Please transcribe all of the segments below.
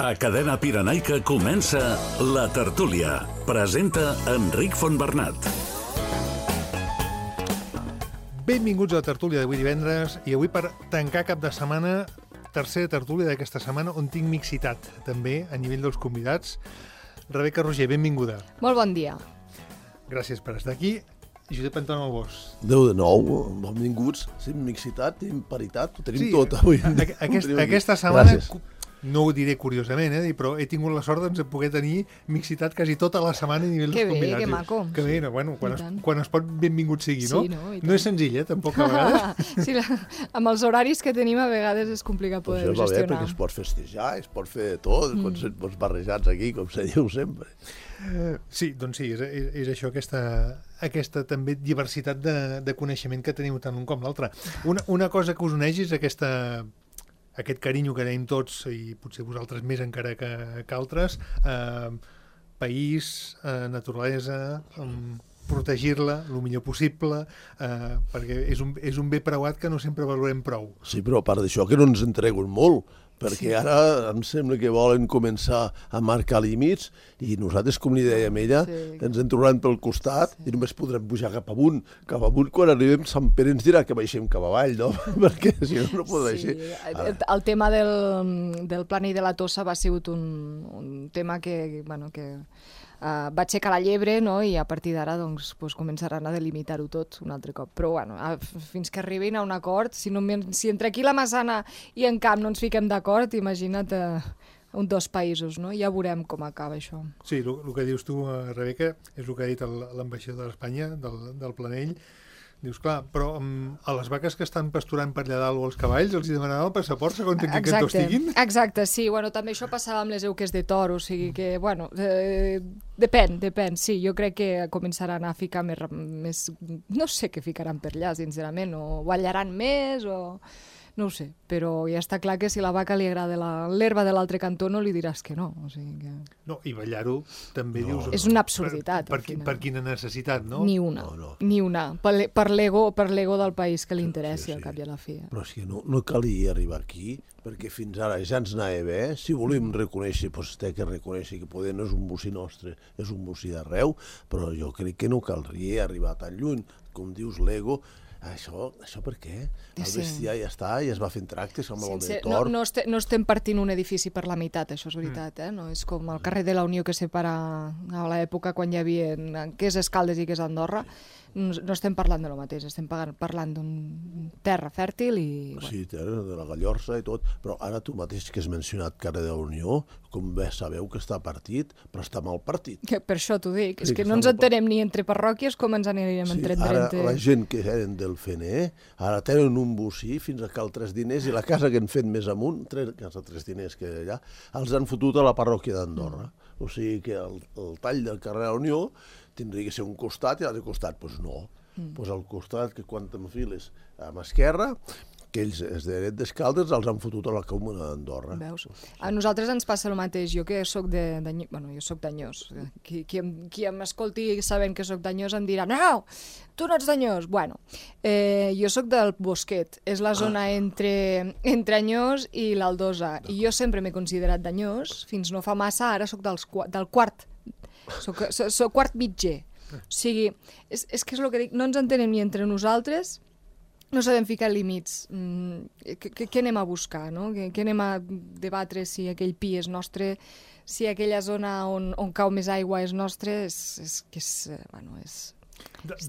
A Cadena Pirenaica comença La Tertúlia. Presenta Enric Fontbernat. Benvinguts a La Tertúlia d'avui divendres i avui per tancar cap de setmana, tercera tertúlia d'aquesta setmana on tinc mixitat també a nivell dels convidats. Rebeca Roger, benvinguda. Molt bon dia. Gràcies per estar aquí. Josep Anton Albós. Déu de nou, benvinguts. Sí, mixitat, tenim paritat, ho tenim tot avui. Aquesta setmana, gràcies. no ho diré curiosament, però he tingut la sort de poder tenir mixitat quasi tota la setmana a nivell dels convidats. Que maco. Que bé, bueno, quan es pot benvingut sigui, no? Sí, no? No és senzill, tampoc a vegades. Sí, amb els horaris que tenim a vegades és complicat poder Això va bé, gestionar. perquè es pot festejar, es pot fer tot, pots barrejats aquí, com se diu sempre. Sí, doncs sí, és això, aquesta també diversitat de coneixement que teniu tant un com l'altre. Una cosa que us uneix és aquest carinyo que tenim tots, i potser vosaltres més encara que altres, país, naturalesa, protegir-la el millor possible, perquè és un bé preuat que no sempre valorem prou. Sí, però a part d'això, que no ens entreguen molt, perquè ara em sembla que volen començar a marcar límits i nosaltres, com li dèiem ella, ens en trobaran pel costat i només podrem pujar cap amunt. Cap amunt, quan arribem, Sant Pere ens dirà que baixem cap avall, no? Perquè si no podrà així. El tema del plànol de la Tossa va ser un tema que va aixecar la llebre, no? I a partir d'ara doncs, començaran a delimitar-ho tot un altre cop. Però fins que arribin a un acord, si entre aquí la Massana i en Camp no ens fiquem d'acord, imagina't dos països, no? Ja veurem com acaba això. Sí, el que dius tu, Rebeca, és el que ha dit l'ambaixador d'Espanya, del Planell. Dius, clar, però a les vaques que estan pasturant per allà dalt o els cavalls els hi demanaran el passaport segons en quin cantó estiguin? Exacte, sí. També això passava amb les euques de toro, o sigui que, depèn, sí. Jo crec que començaran a ficar més... No sé què ficaran per allà, sincerament, o ballaran més, o... No ho sé, però ja està clar que si a la vaca li agrada l'herba de l'altre cantó no li diràs que no. O sigui que... No, i ballar-ho també dius... És una absurditat. Per quina necessitat, no? Ni una. Per l'ego del país que li interessi, al cap i a la fi. Però és que no calia arribar aquí, perquè fins ara ja ens anava bé. Si volem reconèixer, doncs té que reconèixer que poder no és un bocí nostre, és un bocí d'arreu, però jo crec que no caldria arribar tan lluny. Com dius, l'ego... Això per què? El bestiar ja està, ja es va fent tractes amb el de tort. No estem partint un edifici per la meitat, això és veritat. No és com el carrer de la Unió que separa a l'època quan hi havia què és Escaldes i què és Andorra. No estem parlant de lo mateix, estem parlant d'un terra fèrtil i... Sí, terra de la Gallorça i tot, però ara tu mateix que has mencionat carrer de la Unió, com bé sabeu que està partit, però està mal partit. Per això t'ho dic, és que no ens entenem ni entre parròquies com ens anirem entre... Ara la gent que eren del FNE, ara tenen un bocí fins a cal 3 diners i la casa que han fet més amunt, casa 3 diners que allà, els han fotut a la parròquia d'Andorra. O sigui que el tall del carrer de la Unió tindria que ser un costat i l'altre costat, doncs no. Doncs al costat que quan t'enfiles a mà esquerra, que ells, els de d'Escaldes, els han fotut a la comuna d'Andorra. Veus? A nosaltres ens passa el mateix. Jo que soc jo soc d'Anyós. Qui m'escolti sabent que soc d'Anyós em dirà no, tu no ets d'Anyós. Jo soc del Bosquet. És la zona entre Anyós i l'Aldosa. I jo sempre m'he considerat d'Anyós. Fins no fa massa, ara soc del quart. Soc quart mitger. O sigui, és que és el que dic, no ens entenem ni entre nosaltres, no sabem ficar límits. Què anem a buscar, no? Què anem a debatre si aquell pi és nostre, si aquella zona on cau més aigua és nostra,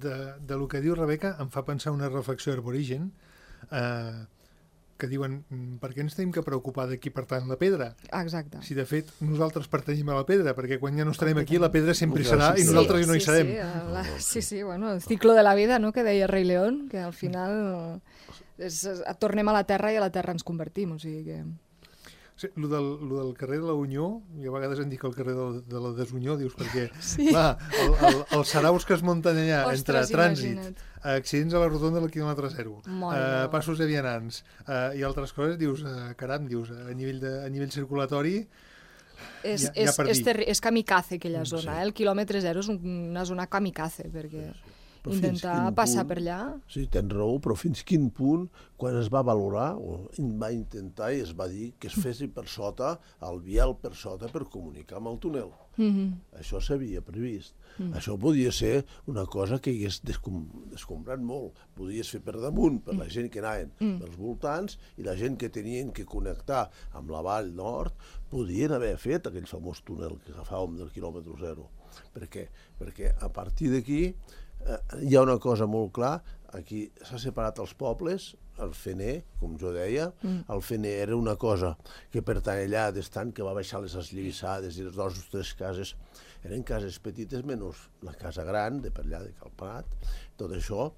De lo que diu Rebeca em fa pensar una reflexió arborigen, que diuen, per què ens tenim que preocupar de qui pertany la pedra? Exacte. Si de fet nosaltres pertanyim a la pedra, perquè quan ja no estarem aquí la pedra sempre hi serà i nosaltres no hi serem. El ciclo de la vida, no?, que deia Rei León, que al final tornem a la terra i a la terra ens convertim, o sigui que... Sí, lo del carrer de la Unió, i a vegades en dic el carrer de la Desunió, dius, perquè clar, els saraus que es munten allà entre trànsit, accidents a la rotonda del quilòmetre 0, passos de vianants i altres coses, dius, caram, a nivell circulatori és kamikaze aquella zona, el quilòmetre 0 és una zona kamikaze, perquè intentar passar per allà. Sí, tens raó, però fins quin punt, quan es va valorar, o va intentar i es va dir que es fessi per sota, el vial per sota, per comunicar amb el túnel. Això s'havia previst. Això podia ser una cosa que hagués descombrat molt. Podies fer per damunt, per la gent que anaven pels voltants, i la gent que tenien que connectar amb la vall nord, podien haver fet aquell famós túnel que agafàvem del quilòmetre zero. Per què? Perquè a partir d'aquí hi ha una cosa molt clara. Aquí s'ha separat els pobles, el FNE, com jo deia. El FNE era una cosa que pertany allà d'estant, que va baixar les eslivissades i les dues o tres cases eren cases petites, menys la casa gran de per allà de Calprat. Tot això,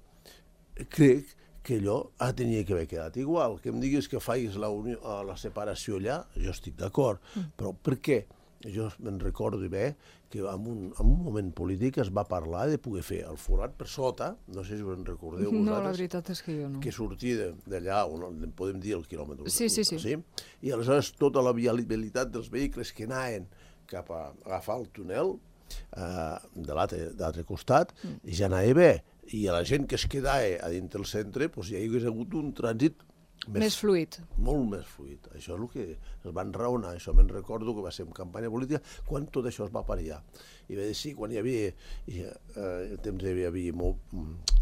crec que allò tenia que haver quedat igual. Que em diguis que facis la separació allà, jo estic d'acord, però per què? Jo me'n recordo bé que en un moment polític es va parlar de poder fer el forat per sota, no sé si us en recordeu vosaltres. No, la veritat és que jo no. Que sortia d'allà, on podem dir el quilòmetre. Sí. I aleshores tota la viabilitat dels vehicles que anaven cap a agafar el túnel de l'altre costat, ja anava bé. I a la gent que es quedava a dins del centre, doncs hi hagués hagut un trànsit més fluid. Molt més fluid. Això és el que es van raonar. Això me'n recordo que va ser en campanya política quan tot això es va parar. I va dir, sí, quan hi havia el temps hi havia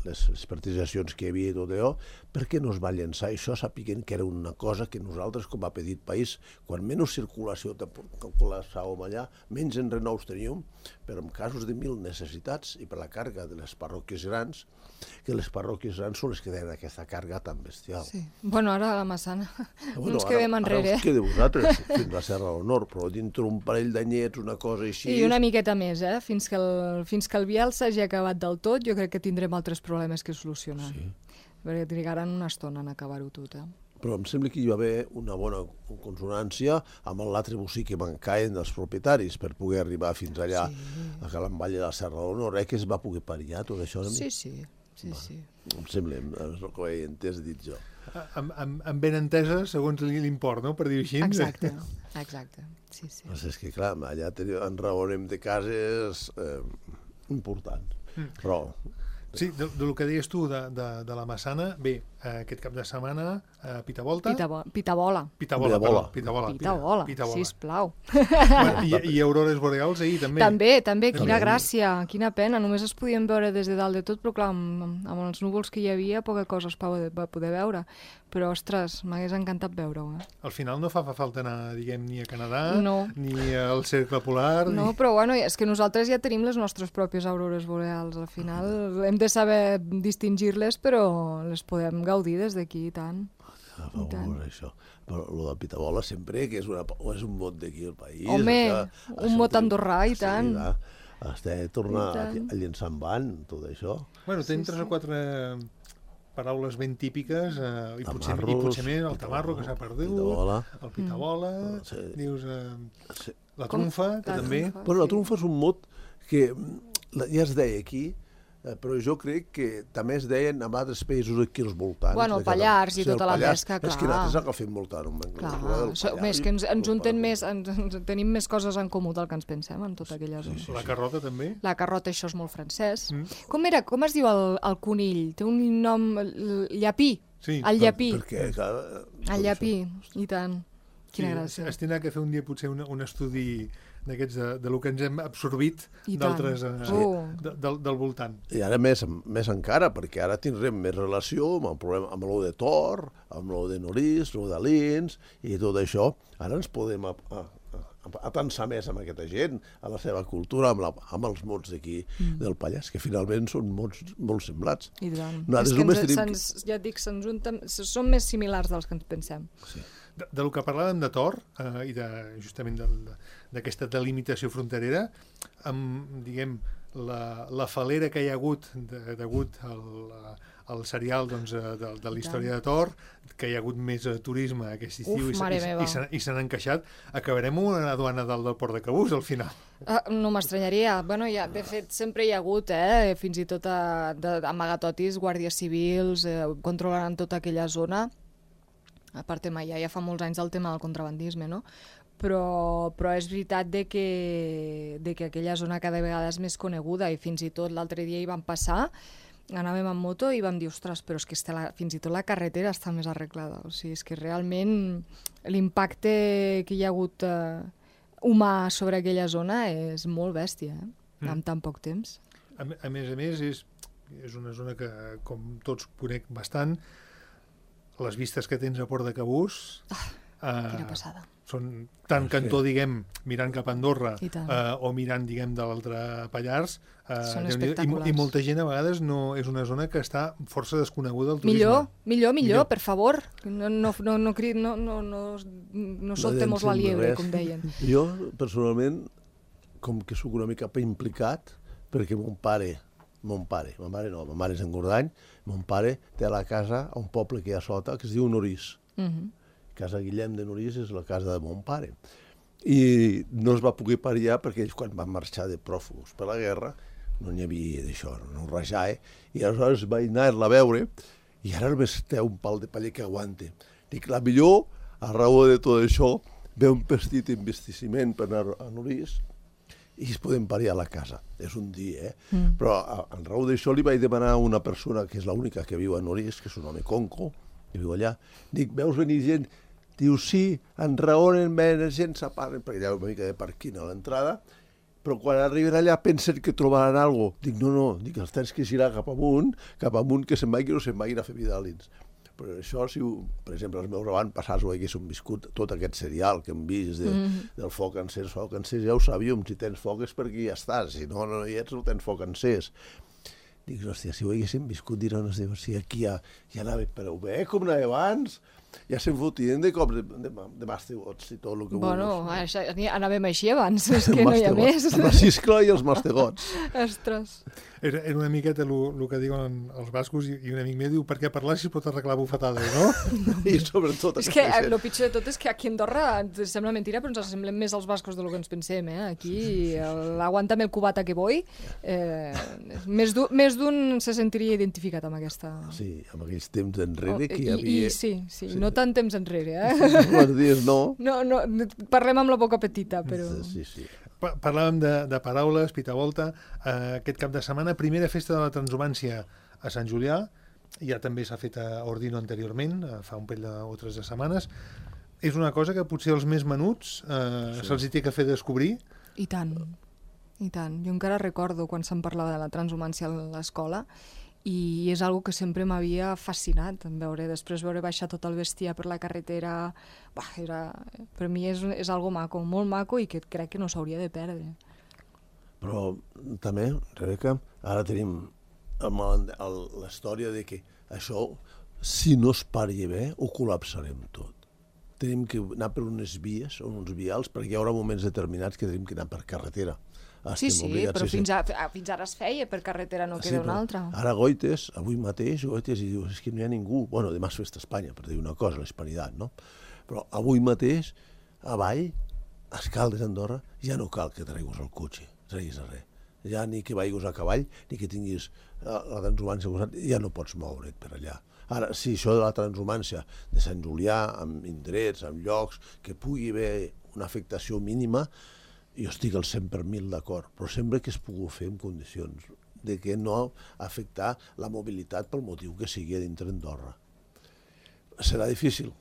les partititzacions que hi havia i tot allò, per què no es va llançar això sapiguent que era una cosa que nosaltres, com a petit país, quan menys circulació calculàvem allà, menys enrenous teníem, però en casos de mil necessitats i per la càrrega de les parròquies grans, que les parròquies grans són les que tenen aquesta càrrega tan bestial. Sí. Bueno, ara a la Massana no ens quedem enrere. Ara us quedeu vosaltres, fins a la Serra de l'Honor, però dintre un parell d'anyets, una cosa així... I una miqueta més, fins que el vial s'hagi acabat del tot, jo crec que tindrem altres problemes que solucionar. Sí. Perquè trigaran una estona en acabar-ho tot, Però em sembla que hi va haver una bona consonància amb l'altre bocí que mancaven dels propietaris per poder arribar fins allà, a Calamvall de la Serra de l'Honor, que es va poder parir tot això. Sí. Em sembla, és el que he entès dit jo. Amb ben entesa, segons l'import, no?, per dir-ho així. Exacte. Sí. És que, clar, allà en raonem de cases importants, però... Sí, del que deies tu de la Massana, bé, aquest cap de setmana Pitavolta... Pitabola, sisplau. I aurores boreals ahir, també. També, quina gràcia, quina pena. Només es podien veure des de dalt de tot, però clar, amb els núvols que hi havia, poca cosa es va poder veure. Però, ostres, m'hagués encantat veure-ho. Al final no fa falta anar, diguem, ni a Canadà, no, ni al Cercle Polar... No, però bueno, és que nosaltres ja tenim les nostres pròpies aurores boreals. Al final hem de saber distingir-les, però les podem gaudir des d'aquí, i tant. Això. Però el de Pitabola sempre, que és un mot d'aquí al país... Home, un mot andorrà, i tant. Has de tornar a llençar en van, tot això. Bueno, tenim 3 o 4... paraules ben típiques, i potser més el tamarro, que s'ha perdut, el pitabola, dius la trumfa, que també... Bueno, la trumfa és un mot que ja es deia aquí, però jo crec que també es deien en altres països aquí als voltants. Bueno, el Pallars i tota la pesca, clar. És que nosaltres agafem molt tard. Clar, més que ens juntem més, tenim més coses en comú del que ens pensem en tota aquella zona. La carrota també? La carrota, això és molt francès. Com es diu el conill? Té un nom... Llapí. El llapí. El llapí, i tant. Quina gràcia. Es tindrà que fer un dia potser un estudi d'aquests de lo que ens hem absorbit d'altres del voltant. I ara més encara, perquè ara tindrem més relació amb el problema, amb lo de Tor, amb lo de Norís, lo d'Alins i tot això. Ara ens podem atensar més amb aquesta gent, a la seva cultura, amb els mots d'aquí del Pallars, que finalment són mots molt semblats. I tant. Ja et dic, són més similars dels que ens pensem. Sí. Del que parlàvem de Tor i justament d'aquesta delimitació fronterera, amb, diguem, la falera que hi ha hagut degut al serial de la història de Tor, que hi ha hagut més turisme aquest estiu i s'han encaixat, acabarem amb una aduana del port de Cabús al final. No m'estranyaria. Bueno, de fet, sempre hi ha hagut, fins i tot amagatotis, guàrdies civils, controlaran tota aquella zona. A part, ja fa molts anys el tema del contrabandisme, no? Però és veritat que aquella zona cada vegada és més coneguda i fins i tot l'altre dia hi van passar anàvem amb moto i vam dir, ostres, però és que fins i tot la carretera està més arreglada. O sigui, és que realment l'impacte que hi ha hagut humà sobre aquella zona és molt bèstia, en tan poc temps. A més, és una zona que, com tots conec bastant, les vistes que tens a Port de Cabús... Quina passada. Són tant cantó, diguem, mirant cap a Andorra o mirant, diguem, de l'altre Pallars. Són espectaculars. I molta gent a vegades no és una zona que està força desconeguda del turisme. Millor, per favor. No soltemos la liebre, com deien. Jo, personalment, com que soc una mica implicat, perquè mon pare, ma mare és en Gordany, mon pare té la casa a un poble que hi ha sota que es diu Norís. Casa Guillem de Norís és la casa de mon pare. I no es va poder parir perquè ells, quan van marxar de pròfugos per la guerra, no n'hi havia d'això, no rajar, i aleshores vaig anar-la a veure, i ara només té un pal de paller que aguante. Dic, la millor, a raó de tot això, ve un petit investiment per anar a Norís i es poden parir a la casa. És un dia, Però en raó d'això li vaig demanar a una persona que és l'única que viu a Norís, que és un home conco, que viu allà, dic, veus venir gent? Diu, sí, enraonen, venen gent, s'aparen, perquè hi ha una mica de parquina a l'entrada, però quan arriben allà pensen que trobaran alguna cosa. Dic, no, dic, els tens que girar cap amunt, que se'n vagin o se'n vagin a fer vidalins. Però això, si, per exemple, els meus avantpassats ho haguessin viscut, tot aquest serial que hem vist del foc encès, ja ho sabíem, si tens foc és perquè ja estàs, si no hi ets no tens foc encès. Dic, hòstia, si ho haguéssim viscut, diran, si aquí ja anava prou bé, com anava abans, ja se'n fotien de cops de mastegots i tot el que vulguis. Bueno, anàvem així abans, és que no hi ha més. Amb la xiscla i els mastegots. Ostres. Era una miqueta el que diuen els bascos, i un amic meu diu, perquè parlar si es pot arreglar bufetades, no? I sobretot... És que el pitjor de tot és que aquí a Andorra ens sembla mentira, però ens assemblem més als bascos del que ens pensem, Aquí, l'aguanta'm el cubata que vull, més d'un se sentiria identificat amb aquesta... Sí, amb aquells temps enrere que hi havia... Sí, no tant temps enrere, Els dies no. No, parlem amb la boca petita, però... Sí. Parlàvem de paraules, pitavolta. Aquest cap de setmana, primera festa de la transhumància a Sant Julià. Ja també s'ha fet a Ordino anteriorment, fa un parell o 3 de setmanes. És una cosa que potser els més menuts se'ls hi té que fer descobrir. I tant. Jo encara recordo quan se'n parlava de la transhumància a l'escola, i és algo que sempre m'havia fascinat, després veure baixar tot el bestiar per la carretera. Per mi és algo maco, molt maco, i que crec que no s'hauria de perdre. Però també, Rebeca, ara tenim la història de que això, si no es pari bé, ho col·lapsarem tot. Tenim que anar per unes vies o uns vials, perquè hi haurà moments determinats que tenim que anar per carretera. Sí, però fins ara es feia per carretera, no queda una altra. Ara Goites, avui mateix, i dius, és que no hi ha ningú. Bueno, demà és festa a Espanya, per dir una cosa, l'Hispanitat, no? Però avui mateix, avall, a Escaldes, Andorra, ja no cal que treguis el cotxe, treguis res. Ja ni que vagis a cavall, ni que tinguis la transhumància al costat, ja no pots moure't per allà. Ara, sí, això de la transhumància de Sant Julià, amb indrets, amb llocs, que pugui haver una afectació mínima, jo estic al 100 per 1000 d'acord, però sempre que es pugui fer en condicions de que no afectar la mobilitat pel motiu que sigui dintre d'Andorra. Serà difícil,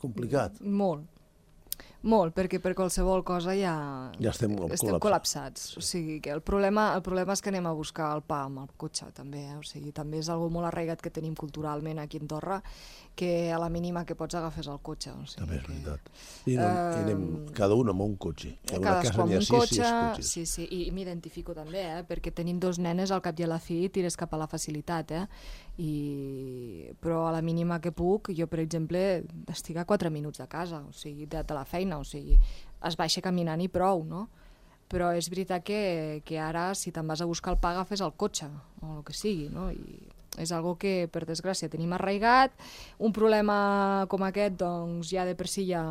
complicat. Molt, perquè per qualsevol cosa ja estem col·lapsats. O sigui, que el problema és que anem a buscar el pa amb el cotxe, també. O sigui, també és algo molt arraigat que tenim culturalment aquí a Andorra, que a la mínima que pots agafes el cotxe. O sigui, també és veritat. I anem cada un amb un cotxe. Cadascú amb un cotxe, sí, i m'identifico també, perquè tenint 2 nenes al cap i a la fi tires cap a la facilitat, però a la mínima que puc, jo per exemple estic a 4 minuts de casa, o sigui, de la feina, o sigui, es baixa caminant i prou, no? Però és veritat que ara, si te'n vas a buscar el pa, agafes el cotxe, o el que sigui, no? I és algo que, per desgràcia, tenim arraigat. Un problema com aquest, doncs, ja de per si ja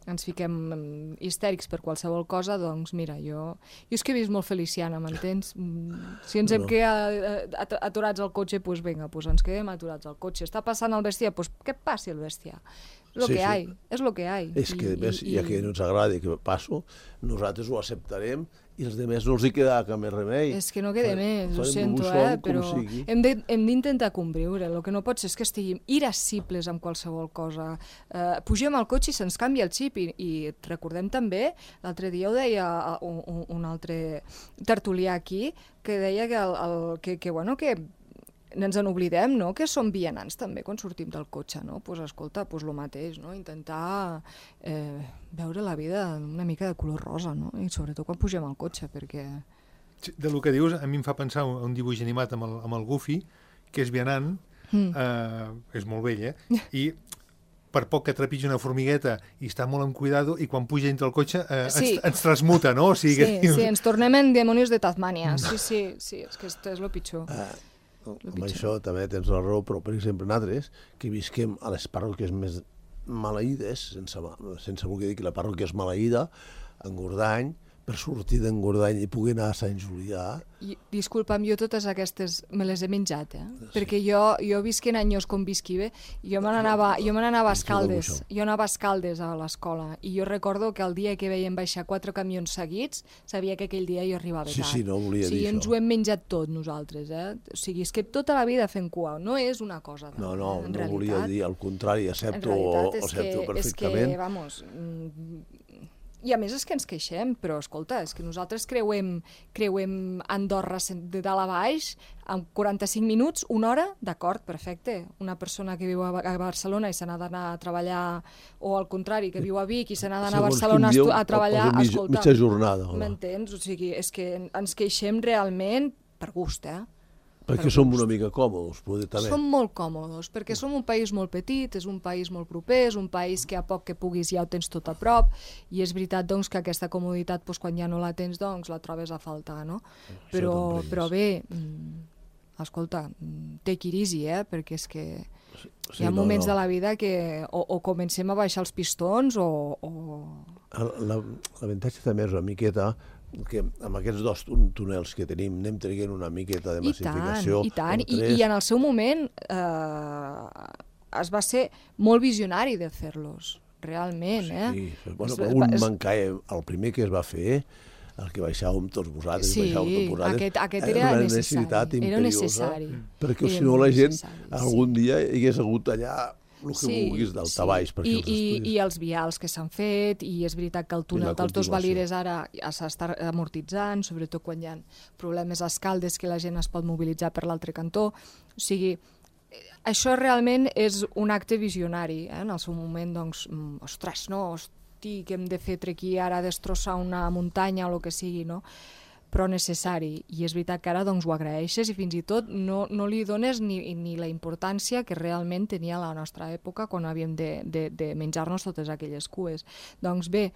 ens fiquem histèrics per qualsevol cosa, doncs mira, jo és que he vist molt feliciana, m'entens? Si ens hem quedat aturats al cotxe, doncs vinga, ens quedem aturats al cotxe. Està passant el bestiar, doncs que passi el bestiar. És lo que hi ha. És que, ja que no ens agrada que passo, nosaltres ho acceptarem i els demés no els hi queda cap més remei. És que no queda més, ho Farem sento, dibuixant com però sigui. hem d'intentar conviure. El que no pot ser és que estiguem irascibles amb qualsevol cosa. Pugem al cotxe i se'ns canvia el xip i recordem també, l'altre dia ho deia un altre tertulià aquí, que deia que ens en oblidem, no?, que som vianants també quan sortim del cotxe, no? Pues escolta, pues lo mateix, no? Intentar veure la vida una mica de color rosa, no? I sobretot quan pugem al cotxe, perquè... De lo que dius, a mi em fa pensar un dibuix animat amb el Goofy, que és vianant, és molt vell, i per poc que trepitja una formigueta i està molt en cuidado, i quan puja dintre el cotxe ens transmuta, no? O sigui, sí, ens tornem en demonios de Tasmània. Sí, és que és el pitjor. Amb això també tens la raó, però per exemple nosaltres, que visquem a les parròquies més maleïdes, sense voler dir que la parròquia és maleïda, en Gordany, per sortir d'Engordany i poder anar a Sant Julià... Disculpa'm, jo totes aquestes me les he menjat, perquè jo visquent anys com visqui bé, jo me n'anava a Escaldes, jo anava a Escaldes a l'escola, i jo recordo que el dia que veiem baixar 4 camions seguits, sabia que aquell dia jo arribava tard. Sí, no volia dir això. Ens ho hem menjat tot nosaltres, O sigui, és que tota la vida fent cua, no és una cosa de... No volia dir, al contrari, accepto perfectament. És que, vamos... I a més és que ens queixem, però escolta, és que nosaltres creuem Andorra de dalt a baix en 45 minuts, una hora, d'acord, perfecte. Una persona que viu a Barcelona i se n'ha d'anar a treballar, o al contrari, que viu a Vic i se n'ha d'anar a Barcelona a treballar, escolta, mitja jornada. M'entens? O sigui, és que ens queixem realment per gust, Perquè som una mica còmodes, poder també. Som molt còmodes, perquè som un país molt petit, és un país molt proper, és un país que a poc que puguis ja ho tens tot a prop, i és veritat doncs, que aquesta comoditat, doncs, quan ja no la tens, doncs, la trobes a faltar, no? Però bé, escolta, take it easy, perquè és que hi ha moments de la vida que o comencem a baixar els pistons o... L'avantatge també és una miqueta que amb aquests 2 túnels que tenim anem traient una miqueta de massificació. I tant, i en el seu moment es va ser molt visionari de fer-los, realment. Sí, un mancaia, el primer que es va fer, el que baixàvem tots vosaltres, aquest era necessari, era necessari. Perquè si no la gent algun dia hagués hagut allà el que vulguis d'altabaix. I els vials que s'han fet, i és veritat que el túnel dels 2 Valires ara s'està amortitzant, sobretot quan hi ha problemes a Escaldes que la gent es pot mobilitzar per l'altre cantó. O sigui, això realment és un acte visionari. En el seu moment, doncs, ostres, no, hosti, que hem de fer aquí ara, destrossar una muntanya o el que sigui, no? Però necessari, i és veritat que ara doncs, ho agraeixes i fins i tot no li dones ni la importància que realment tenia la nostra època quan havíem de menjar-nos totes aquelles cues. Doncs bé,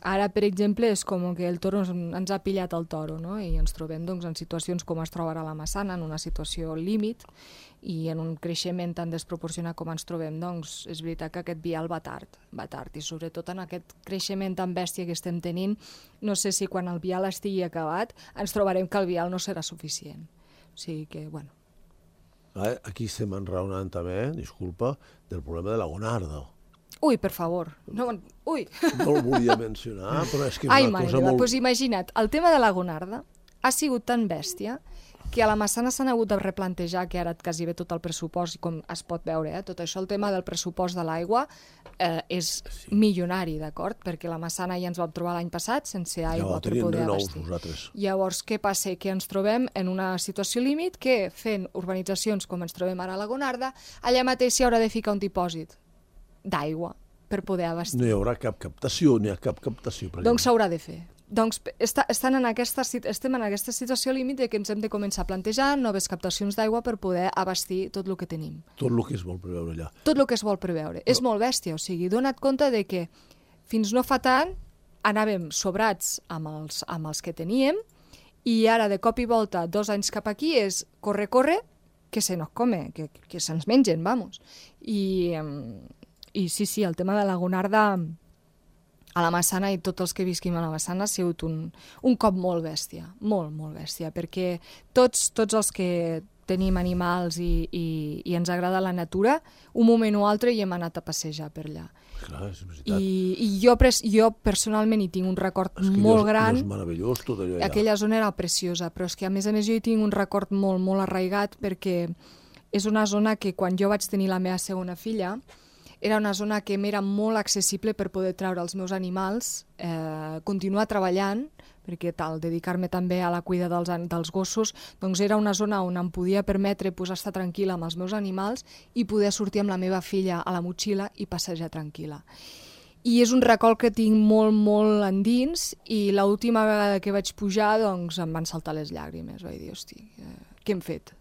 ara, per exemple, és com que el toro ens ha pillat el toro, no? I ens trobem doncs, en situacions com es troba ara la Massana, en una situació límit, i en un creixement tan desproporcionat com ens trobem, doncs és veritat que aquest vial va tard, i sobretot en aquest creixement tan bèstia que estem tenint, no sé si quan el vial estigui acabat ens trobarem que el vial no serà suficient. O sigui que, bueno... Aquí estem enraonant també, disculpa, del problema de la Gonarda. Ui, per favor. No el volia mencionar, però és que és una cosa molt... Doncs imagina't, el tema de la Gonarda ha sigut tan bèstia que a la Massana s'han hagut de replantejar, que ara quasi bé tot el pressupost, com es pot veure, tot això, el tema del pressupost de l'aigua és milionari, d'acord? Perquè la Massana ja ens vam trobar l'any passat sense aigua per poder abastir. Llavors, què passa? Que ens trobem en una situació límit que, fent urbanitzacions com ens trobem ara a la Gonarda, allà mateix s'hi haurà de ficar un dipòsit d'aigua per poder abastir. No hi haurà cap captació, ni cap captació. Doncs s'haurà de fer. Doncs estem en aquesta situació límit que ens hem de començar a plantejar noves captacions d'aigua per poder abastir tot el que tenim. Tot el que es vol preveure allà. Tot el que es vol preveure. És molt bèstia, o sigui, dona't compte de que fins no fa tant anàvem sobrats amb els que teníem, i ara de cop i volta 2 anys cap aquí és corre, que se nos come, que se'ns mengen, vamos. I sí, el tema de la Gonarda a la Massana, i tots els que visquim a la Massana, ha sigut un cop molt bèstia, molt bèstia, perquè tots els que tenim animals i ens agrada la natura, un moment o altre hi hem anat a passejar per allà. Clar, és veritat. I jo personalment hi tinc un record molt gran. És meravellós tot allò allà. Aquella zona era preciosa, però és que a més jo hi tinc un record molt, molt arraigat perquè és una zona que quan jo vaig tenir la meva segona filla era una zona que m'era molt accessible per poder treure els meus animals, continuar treballant, perquè dedicar-me també a la cuida dels gossos, doncs era una zona on em podia permetre estar tranquil·la amb els meus animals i poder sortir amb la meva filla a la motxilla i passejar tranquil·la. I és un record que tinc molt, molt endins i l'última vegada que vaig pujar doncs em van saltar les llàgrimes. Vaig dir, hosti, què hem fet?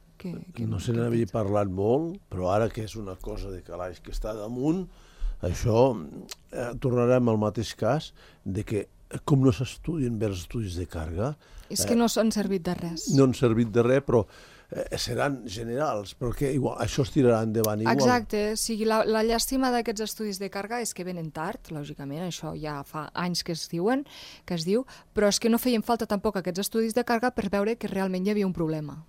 No se n'havia parlat molt, però ara que és una cosa de calaix que està damunt, això tornarem al mateix cas de que com no s'estudien bé els estudis de càrrega... És que no s'han servit de res. No han servit de res, però seran generals, perquè igual, això es tirarà endavant igual. Exacte, o sigui, la llàstima d'aquests estudis de càrrega és que venen tard, lògicament, això ja fa anys que es diu, però és que no feien falta tampoc aquests estudis de càrrega per veure que realment hi havia un problema,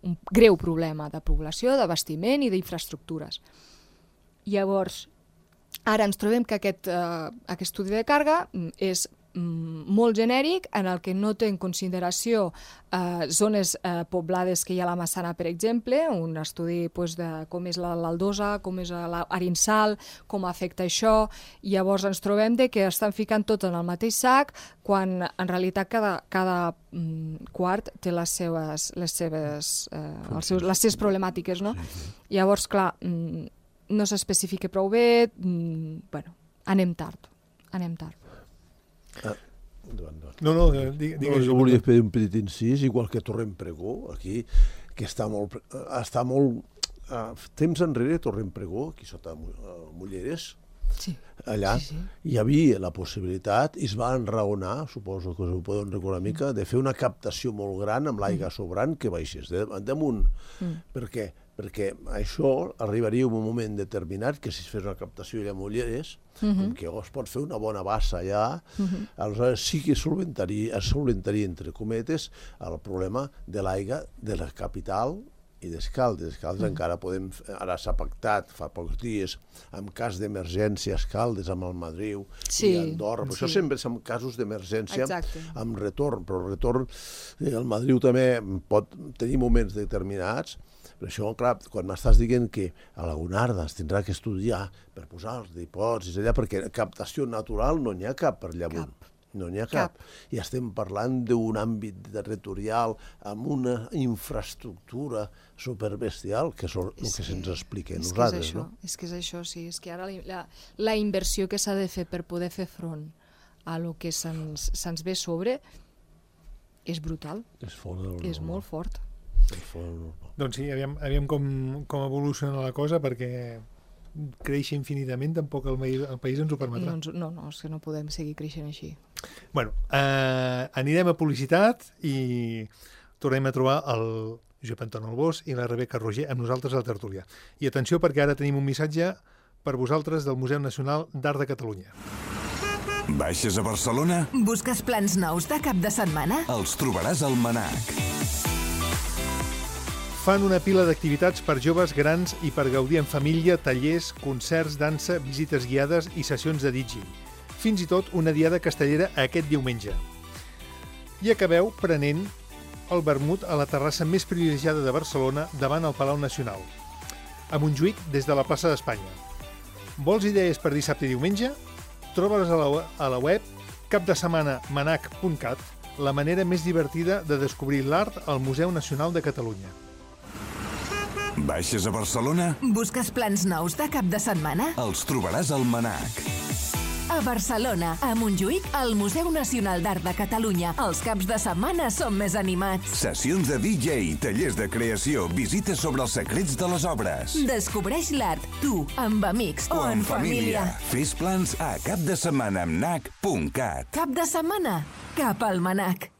un greu problema de població, d'abastiment i d'infraestructures. Llavors, ara ens trobem que aquest estudi de càrrega és molt genèric, en el que no té en consideració zones poblades que hi ha a la Massana, per exemple, un estudi de com és l'aldosa, com és l'Arinsal, com afecta això. Llavors ens trobem que estan ficant tot en el mateix sac, quan en realitat cada quart té les seves problemàtiques, no? Llavors, clar, no s'especifica prou bé, anem tard. No, digues. Jo volia fer un petit incís, igual que Torrent Pregó, aquí, que està molt temps enrere, Torrent Pregó, aquí sota Mulleres, allà hi havia la possibilitat, i es va enraonar, suposo que us ho podeu recordar una mica, de fer una captació molt gran amb l'aigua sobrant que baixés damunt. Per què? Perquè això arribaria en un moment determinat que si es fes una captació allà a Mulleres, com que es pot fer una bona bassa allà, aleshores sí que es solventaria, entre cometes, el problema de l'aigua de la capital i d'Escaldes. Escaldes encara podem... Ara s'ha pactat fa pocs dies en cas d'emergència Escaldes amb el Madriu i Andorra. Però això sempre és en casos d'emergència amb retorn, però el retorn el Madriu també pot tenir moments determinats. Per això, clar, quan m'estàs dient que a la Gonarda es tindrà que estudiar per posar els dipòsits allà, perquè captació natural no n'hi ha cap per allà amunt. No n'hi ha cap. I estem parlant d'un àmbit territorial amb una infraestructura superbestial, que és el que se'ns explica a nosaltres. És que és això, sí. És que ara la inversió que s'ha de fer per poder fer front a lo que se'ns ve sobre és brutal. És molt fort. Doncs sí, aviam com evoluciona la cosa, perquè créixer infinitament tampoc el país ens ho permetrà. No, és que no podem seguir creixent així. Bueno, anirem a publicitat i tornem a trobar el Josep Anton Albós i la Rebeca Roger amb nosaltres a la tertúlia. I atenció, perquè ara tenim un missatge per vosaltres del Museu Nacional d'Art de Catalunya. Baixes a Barcelona? Busques plans nous de cap de setmana? Els trobaràs al MNAC. Fan una pila d'activitats per joves, grans i per gaudir en família, tallers, concerts, dansa, visites guiades i sessions de DJ. Fins i tot una diada castellera aquest diumenge. I acabeu prenent el vermut a la terrassa més privilegiada de Barcelona davant el Palau Nacional, a Montjuïc des de la plaça d'Espanya. Vols idees per dissabte i diumenge? Troba-les a la web capdesetmanamanac.cat, la manera més divertida de descobrir l'art al Museu Nacional de Catalunya. Baixes a Barcelona? Busques plans nous de cap de setmana? Els trobaràs al MNAC. A Barcelona, a Montjuïc, al Museu Nacional d'Art de Catalunya. Els caps de setmana són més animats. Sessions de DJ, tallers de creació, visites sobre els secrets de les obres. Descobreix l'art, tu, amb amics o en família. Fes plans a capdesetmanamnac.cat. Cap de setmana, cap al MNAC.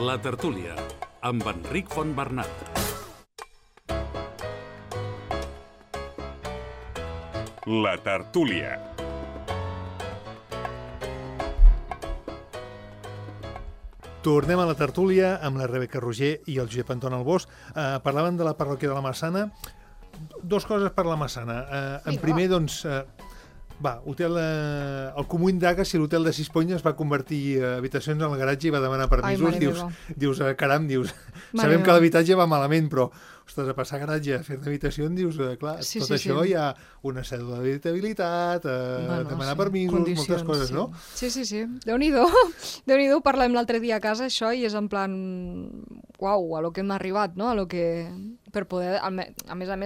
La tertúlia, amb Enric Fontbernat. La tertúlia. Tornem a la tertúlia amb la Rebeca Roger i el Josep Anton Albós. Parlaven de la parròquia de la Massana. Dos coses per la Massana. En primer, doncs, el comú indaga si l'hotel de Sisponya es va convertir habitacions en el garatge i va demanar permisos. Dius, caram, sabem que l'habitatge va malament, però, ostres, a passar garatge a fer d'habitació, dius, clar, tot això hi ha una cèdula d'habitabilitat, demanar permisos, moltes coses, no? Sí. Déu-n'hi-do. Déu-n'hi-do, parlem l'altre dia a casa, això, i és en plan, uau, a lo que hem arribat, no? A lo que... per poder, a més,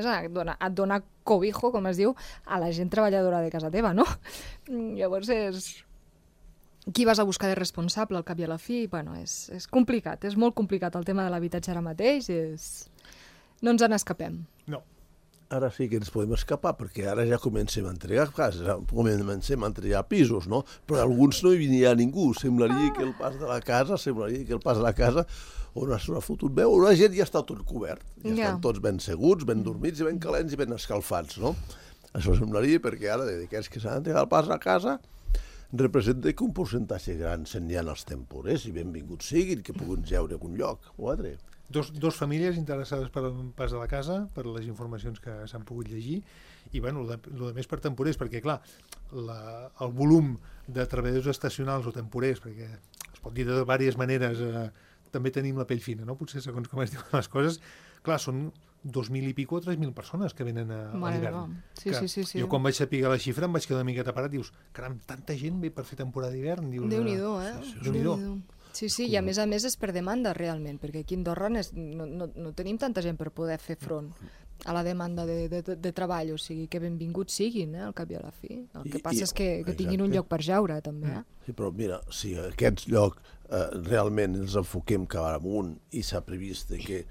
et donar cobijo, com es diu, a la gent treballadora de casa teva, no? Llavors és... Qui vas a buscar de responsable al cap i a la fi? Bueno, és complicat, és molt complicat el tema de l'habitatge ara mateix, no ens en escapem. No. Ara sí que ens podem escapar, perquè ara ja comencem a entregar cases, comencem a entregar pisos, no? Però alguns no hi venia ningú, semblaria que el pas de la casa on s'ha fotut veu, la gent ja està tot cobert, ja estan tots ben seguts, ben dormits i ben calents i ben escalfats, no? Això semblaria perquè ara, d'aquests que s'han entregat el pas a casa, representa que un percentatge gran se'n hi ha els temporers i benvinguts siguin, que puguin jeure en un lloc o altre. Dos famílies interessades per el pas de la casa, per les informacions que s'han pogut llegir, i bueno, el més per temporers, perquè clar, el volum de treballadors estacionals o temporers, perquè es pot dir de diverses maneres, també tenim la pell fina, no? Potser segons com es diuen les coses, clar, són 2.000 i pico o 3.000 persones que venen a l'hivern. Sí. Jo quan vaig saber la xifra em vaig quedar una miqueta parat, dius, caram, tanta gent ve per fer temporada d'hivern. Déu-n'hi-do, Déu-n'hi-do. Sí, i a més és per demanda realment, perquè aquí a Andorra no tenim tanta gent per poder fer front a la demanda de treball, o sigui que benvinguts siguin, al cap i a la fi. El que passa és que tinguin un lloc per jaure, també. Sí, però mira, si aquests llocs realment els enfoquem cap amunt i s'ha previst que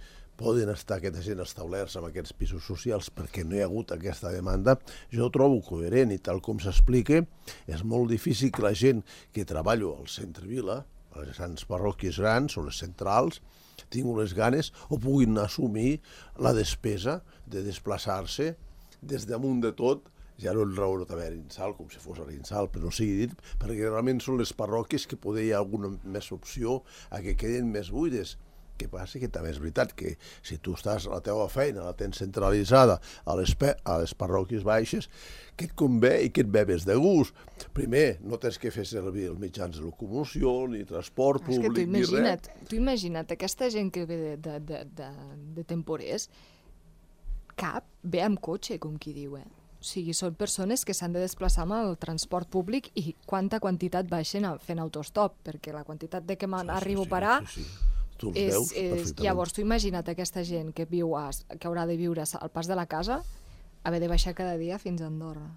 poden estar aquesta gent establerts en aquests pisos socials perquè no hi ha hagut aquesta demanda, jo ho trobo coherent i tal com s'explica, és molt difícil que la gent que treballa al centre-vila, a les grans parròquies grans o les centrals, tinguin les ganes o puguin assumir la despesa de desplaçar-se des damunt de tot, ja no en raó també a l'Insal, com si fos a l'Insal, però no sigui dit, perquè realment són les parròquies que poder hi ha alguna més opció a que queden més buides. Que passa que també és veritat que si tu estàs a la teva feina, la tens centralitzada a les parròquies baixes, que et convé i que et ve més de gust. Primer, no tens que fer servir els mitjans de locomoció, ni transport públic, ni res. Tu imagina't, aquesta gent que ve de temporers, cap ve amb cotxe, com qui diu, O sigui, són persones que s'han de desplaçar amb el transport públic i quanta quantitat baixen fent autostop, perquè la quantitat de que m'arribo a parar... Llavors, tu imagina't aquesta gent que haurà de viure al pas de la casa, haver de baixar cada dia fins a Andorra.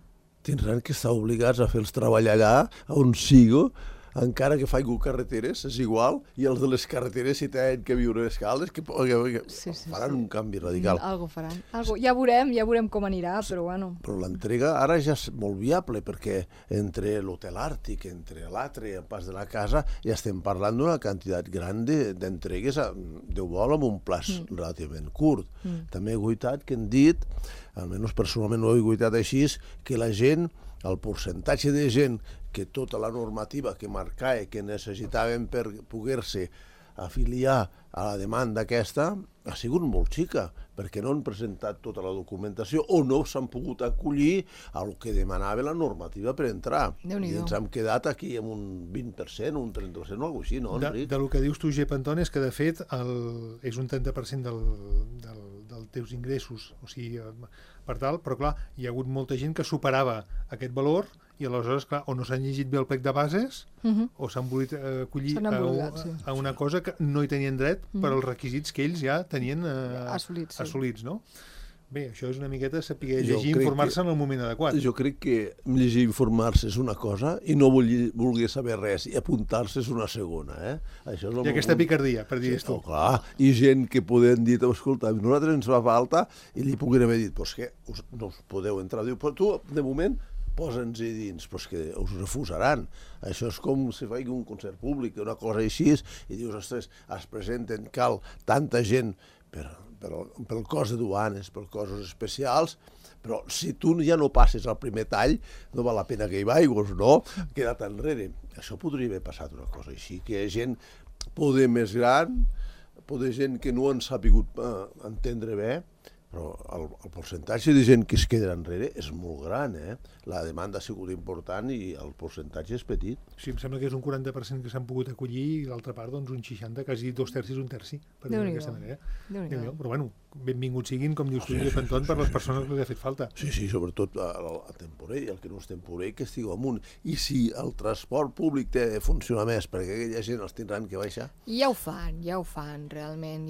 Tindran que estar obligats a fer-los treballar allà, on sigo, encara que faig carreteres, és igual, i els de les carreteres, si tenen que viure a escales, que faran un canvi radical. Algo faran. Ja veurem com anirà, però bueno. Però l'entrega ara ja és molt viable, perquè entre l'Hotel Àrtic, entre l'altre i el pas de la casa, ja estem parlant d'una quantitat gran d'entregues, Déu vol, amb un plaç relativament curt. També he guaitat que han dit, almenys personalment ho he guaitat així, que la gent, el percentatge de gent que tota la normativa que marcava que necessitaven per poder-se afiliar a la demanda aquesta ha sigut molt xica, perquè no han presentat tota la documentació o no s'han pogut acollir al que demanava la normativa per entrar. I ens hem quedat aquí amb un 20%, un 30% o alguna cosa així, no, Enric? Del que dius tu, Jep Antoni, és que de fet és un 30% dels teus ingressos, o sigui, per tal, però clar, hi ha hagut molta gent que superava aquest valor i aleshores, clar, o no s'han llegit bé el plec de bases o s'han volit acollir a una cosa que no hi tenien dret per als requisits que ells ja tenien assolits, no? Bé, això és una miqueta saber llegir i informar-se en el moment adequat. Jo crec que llegir i informar-se és una cosa i no voler saber res i apuntar-se és una segona. Això és I aquesta picardia, per dir tu. Clar, i gent que poden dir, escolta, nosaltres ens fa falta, i li puguin haver dit, doncs que no us podeu entrar. Diu, però tu, de moment, posa'ns-hi dins, però és que us refusaran. Això és com si faig un concert públic, una cosa així, i dius, ostres, es presenten, cal tanta gent pel cos de duanes, per coses especials, però si tu ja no passes al primer tall, no val la pena que hi vagis, no? Queda't enrere. Això podria haver passat una cosa així, que hi ha gent poder més gran, poder gent que no han sabut entendre bé, però el percentatge de gent que es queda enrere és molt gran, La demanda ha sigut important i el percentatge és petit. Sí, em sembla que és un 40% que s'han pogut acollir i l'altra part, doncs, un 60, quasi 2/3, un terci, per dir-ho d'aquesta manera. Déu-n'hi-do. Però, bueno, benvinguts siguin, com dius tu, Panton, per les persones que li ha fet falta. Sí, sobretot a temporer, el que no és temporer, que estigui amunt. I si el transport públic té de funcionar més, perquè aquella gent els tindran que baixar... Ja ho fan, realment.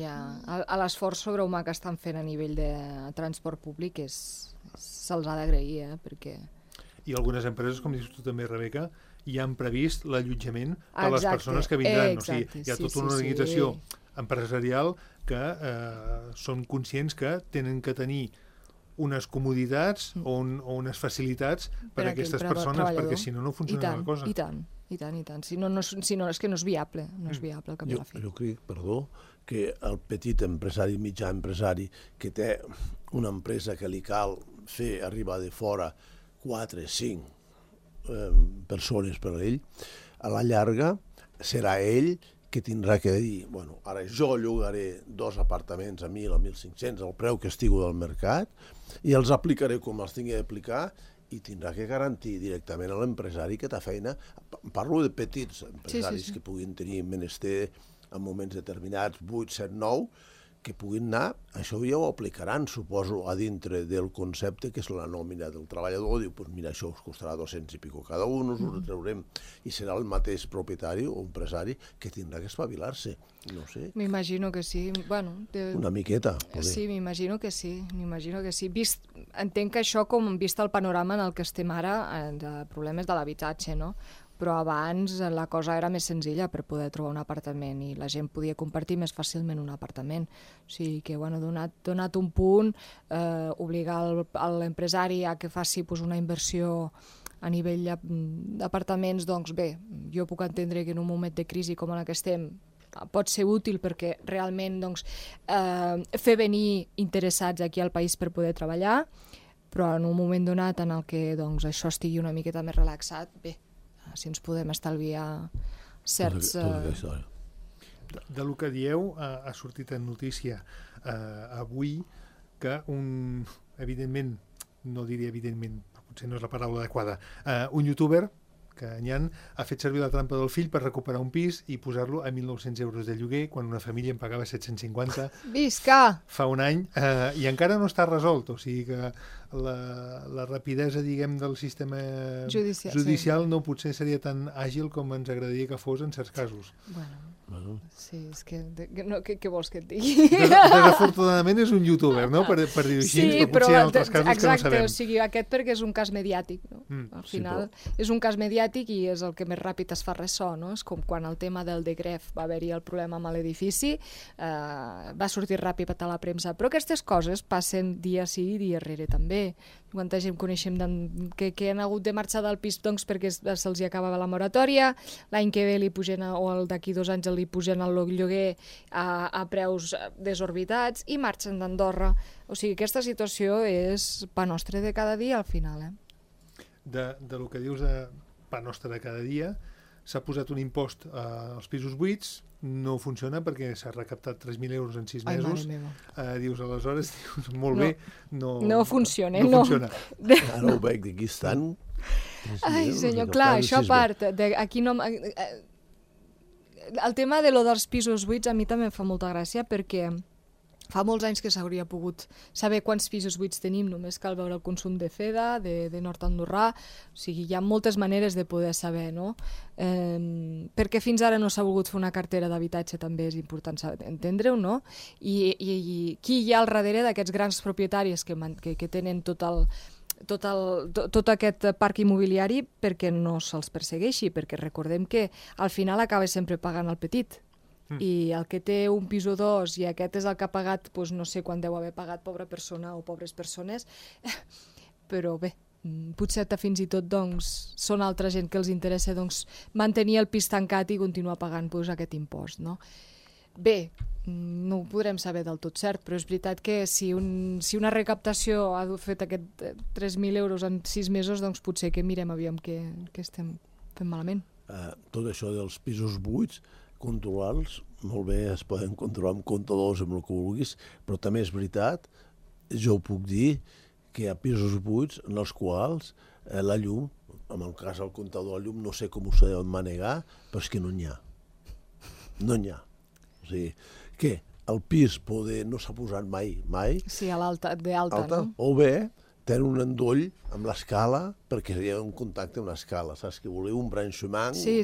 L'esforç sobrehumà que estan fent a nivell de transport públic se'ls ha d'agrair, perquè... I algunes empreses, com dius tu també, Rebeca, ja han previst l'allotjament per a les persones que vindran. Exacte, hi ha tota una organització empresarial que són conscients que tenen que tenir unes comoditats o unes facilitats per a aquestes persones, perquè si no, no funciona la cosa. I tant. Si no, és que no és viable, al cap i a la fi. Jo crec, que el petit empresari, mitjà empresari, que té una empresa que li cal fer arribar de fora 4, 5 persones per a ell, a la llarga serà ell que tindrà que dir, bueno, ara jo llogaré 2 apartaments a 1.000 o 1.500 al preu que estigui del mercat i els aplicaré com els tingui d'aplicar i tindrà que garantir directament a l'empresari que té feina. Parlo de petits empresaris que puguin tenir menester en moments determinats, 8, 7, 9, que puguin anar, això ja ho aplicaran, suposo, a dintre del concepte que és la nòmina del treballador. Diu, doncs mira, això us costarà 200 i pico cada un, us ho traurem, i serà el mateix propietari o empresari que tindrà que espavilar-se. No sé. M'imagino que sí. Bueno, una miqueta. Sí, m'imagino que sí. Entenc que això, com vist el panorama en el que estem ara, de problemes de l'habitatge, no? Però abans la cosa era més senzilla per poder trobar un apartament i la gent podia compartir més fàcilment un apartament. O sigui que, bueno, donat un punt, obligar l'empresari a que faci una inversió a nivell d'apartaments, doncs bé, jo puc entendre que en un moment de crisi com en el que estem pot ser útil perquè realment fer venir interessats aquí al país per poder treballar, però en un moment donat en el que això estigui una miqueta més relaxat, bé, si ens podem estalviar certs... De lo que dieu, ha sortit en notícia avui que evidentment, no diria evidentment, potser no és la paraula adequada, un youtuber que ha fet servir la trampa del fill per recuperar un pis i posar-lo a 1.900 euros de lloguer quan una família en pagava 750 fa un any, i encara no està resolt, o sigui que la rapidesa, diguem, del sistema judicial no potser seria tan àgil com ens agradaria que fos en certs casos. Bueno, sí, és que què vols que et digui? Desafortunadament és un youtuber, no? Per dir-ho així, sí, però potser hi ha altres casos que no sabem. O sigui, aquest perquè és un cas mediàtic, no? Al final és un cas mediàtic i és el que més ràpid es fa ressò, no? És com quan el tema del Degref va haver-hi el problema amb l'edifici, va sortir ràpid a la premsa, però aquestes coses passen dia sí i dia rere també. Quanta gent coneixem que han hagut de marxar del pis perquè se'ls acabava la moratòria, l'any que ve li pugen, o d'aquí 2 anys li pugen el lloguer a preus desorbitats i marxen d'Andorra. O sigui, aquesta situació és pa nostre de cada dia al final. De lo que dius de pa nostre de cada dia, s'ha posat un impost als pisos buits, no funciona perquè s'ha recaptat 3.000 euros en 6 mesos. Dius, aleshores, molt bé, no funciona. Ara ho veig d'aquí estan. Ai, senyor, clar, això a part, aquí no... El tema dels pisos buits a mi també em fa molta gràcia perquè fa molts anys que s'hauria pogut saber quants pisos buits tenim, només cal veure el consum de FEDA, de Nord Andorrà, o sigui, hi ha moltes maneres de poder saber, no? Perquè fins ara no s'ha volgut fer una cartera d'habitatge, també és important entendre-ho, no? I qui hi ha al darrere d'aquests grans propietaris que tenen tot aquest parc immobiliari perquè no se'ls persegueixi, perquè recordem que al final acaba sempre pagant el petit. I el que té un pis o 2 i aquest és el que ha pagat, no sé quan deu haver pagat pobra persona o pobres persones, però bé, potser fins i tot són altra gent que els interessa mantenir el pis tancat i continuar pagant aquest impost, no? Bé, no ho podrem saber del tot cert, però és veritat que si una recaptació ha fet aquest 3.000 euros en 6 mesos, doncs potser que mirem aviam què estem fent malament. Tot això dels pisos buits, controlar-los, molt bé, es poden controlar amb comptadors, amb el que vulguis, però també és veritat jo puc dir que hi ha pisos buits en els quals la llum, en el cas del comptador de la llum, no sé com ho sabem manegar, però és que no n'hi ha. No n'hi ha. O sigui, que el pis no s'ha posat mai, Sí, a l'alta, d'alta, no? o bé tenen un endoll amb l'escala perquè hi ha un contacte amb l'escala, saps? Que voleu un branchement. Sí.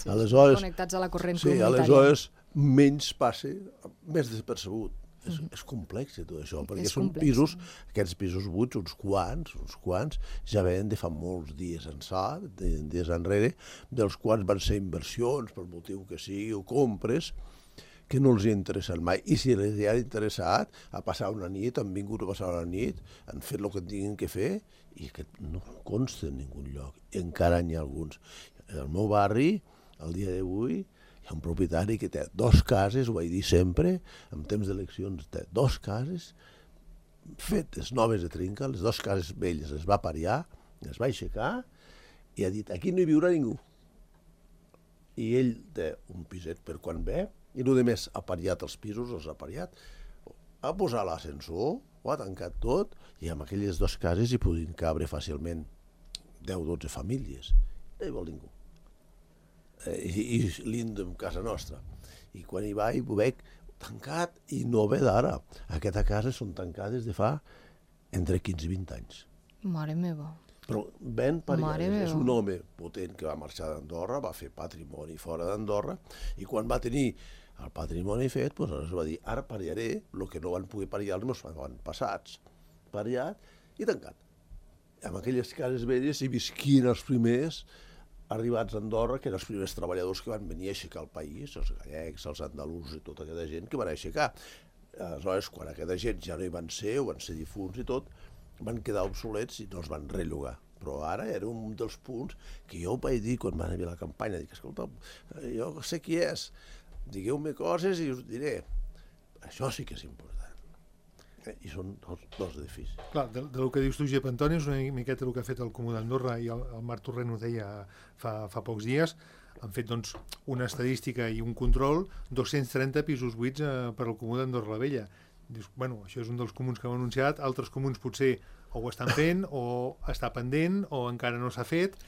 Aleshores, connectats a la corrent comunitària. Sí, aleshores menys passa, més despercebut. És complex tot això, perquè són pisos, aquests pisos buits, uns quants, ja venen de fa molts dies ençà, dies enrere, dels quals van ser inversions, per motiu que sigui, o compres, que no els hi interessen mai. I si els hi ha interessat a passar una nit, han vingut a passar una nit, han fet el que tinguin que fer, i que no consta en ningú lloc. I encara n'hi ha alguns. En el meu barri, al dia d'avui, hi ha un propietari que té 2 cases, ho vaig dir sempre, en temps d'eleccions té 2 cases, fetes noves de trinca, les 2 cases velles les va pariar, les va aixecar, i ha dit, aquí no hi viurà ningú. I ell té un piset per quan ve, i el més ha pariat els pisos, els ha pariat, ha posat l'ascensor, ho ha tancat tot, i amb aquelles 2 cases hi podien cabre fàcilment 10-12 famílies. No hi vol ningú. I lindo en casa nostra. I quan hi vaig ho veig tancat i no ve d'ara. Aquestes cases són tancades de fa entre 15 i 20 anys. Mare meva. Però ben pariades. És un home potent que va marxar d'Andorra, va fer patrimoni fora d'Andorra, i quan va tenir el patrimoni fet, doncs aleshores va dir, ara pariaré el que no van poder pariar els meus passats. Pariat i tancat. Amb aquelles cases velles hi visquien els primers arribats a Andorra, que eren els primers treballadors que van venir a aixecar el país, els gallecs, els andalusos i tota aquesta gent que van aixecar. Aleshores, quan aquesta gent ja no hi van ser, o van ser difunts i tot, van quedar obsolets i no els van rellogar. Però ara era un dels punts que jo vaig dir quan van haver la campanya, dic, escolta, jo sé qui és, digueu-me coses i us diré. Això sí que és important. I són dos edificis. Clar, del que dius tu, Jep Antoni, és una miqueta el que ha fet el Comú d'Andorra, i el Marc Torrent ho deia fa pocs dies. Han fet doncs, una estadística i un control, 230 pisos buits per al Comú d'Andorra la Vella. Dius, bueno, això és un dels comuns que hem anunciat, altres comuns potser o ho estan fent, o està pendent, o encara no s'ha fet.